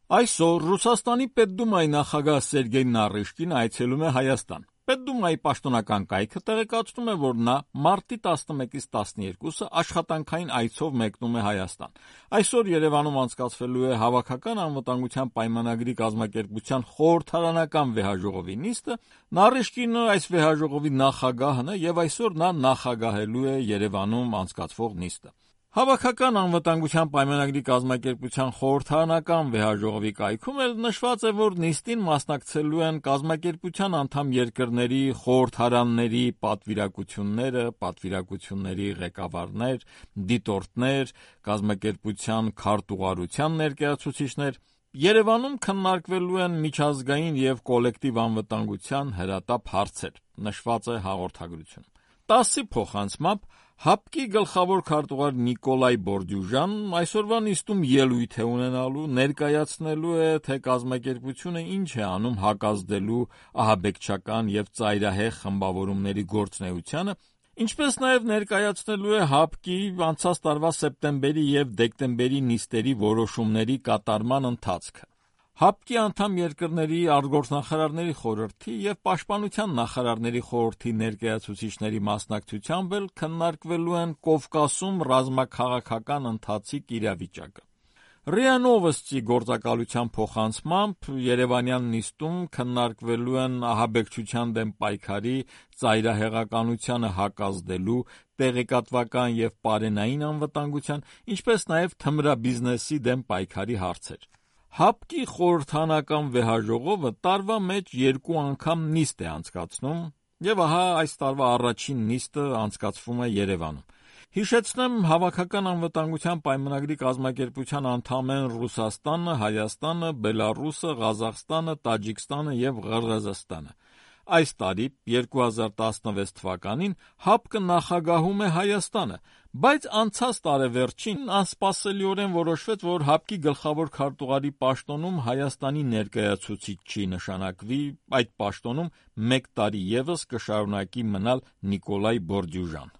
Այսօր Ռուսաստանի Պետդումայի նախագահ Սերգեյ Նարիշկին այցելում է Հայաստան։ Պետդումայի պաշտոնական կայքը տեղեկացնում է, որ նա մարտի 11-ից 12-ը աշխատանքային այցով մեկնում է Հայաստան։ Այսօր Երևանում անցկացվելու է Հավաքական անվտանգության պայմանագրի կազմակերպության խորհրդարանական վեհաժողովի նիստը։ Նարիշկինը այս վեհաժողովի նախագահն է եւ այսօր նա նախագահելու է Երևանում անցկացվող նիստը։ Հավաքական անվտանգության պայմանագրի կազմակերպության խորհրդարանական վեհաժողովի կայքում էլ նշված է, որ նիստին մասնակցելու են կազմակերպության անդամ երկրների խորհրդարանների պատվիրակությունները, պատվիրակությունների ղեկավարներ, դիտորդներ, կազմակերպության քարտուղարության ներկայացուցիչներ։ Երևանում քննարկվելու են միջազգային եւ կոլեկտիվ անվտանգության հրատապ հարցեր, նշված է հաղորդագրությունում։ ՏԱՍՍ-ի փոխանցմամբ ՀԱՊԿ-ի գլխավոր քարտուղար Նիկոլայ Բորդյուժանն այսօրվա նիստում ելույթ է ունենալու, ներկայացնելու է, թե կազմակերպությունը ինչ է անում հակազդելու ահաբեկչական եւ ծայրահեղ խմբավորումների գործունեությանը, ինչպես նաեւ ներկայացնելու է ՀԱՊԿ-ի անցած տարվա սեպտեմբերի եւ դեկտեմբերի նիստերի որոշումների կատարման ընթացքը։ ՀԱՊԿ-ի անդամ երկրների արտգործնախարարների խորհրդի եւ պաշտպանության նախարարների խորհրդի ներկայացուցիչների մասնակցությամբ էլ քննարկվելու են Կովկասում ռազմաքաղաքական ընթացիկ իրավիճակը։ ՌԻԱ Նովոստի գործակալության փոխանցմամբ Երևանյան նիստում քննարկվելու են ահաբեկչության դեմ պայքարի, ծայրահեղականությանը հակազդելու, տեղեկատվական եւ պարենային անվտանգության, ինչպես նաեւ թմրաբիզնեսի դեմ պայքարի հարցեր։ ՀԱՊԿ-ի խորհրդարանական վեհաժողովը տարվա մեջ 2 անգամ նիստ է անցկացնում, եւ ահա այս տարվա առաջին նիստը անցկացվում է Երևանում։ Հիշեցնեմ, Հավաքական անվտանգության պայմանագրի կազմակերպության անդամ են Ռուսաստանը, Հայաստանը, Բելառուսը, Ղազախստանը, Տաջիկստանը եւ Ղրղըզստանը։ Այս տարի 2016 թվականին ՀԱՊԿ-ը նախագահում է Հայաստանը, բայց անցած տարեվերջին անսպասելիորեն որոշվեց, որ ՀԱՊԿ-ի գլխավոր քարտուղարի պաշտոնում Հայաստանի ներկայացուցիչ չի նշանակվի, այդ պաշտոնում 1 տարի եւս կշարունակի մնալ Նիկոլայ Բորդյուժան։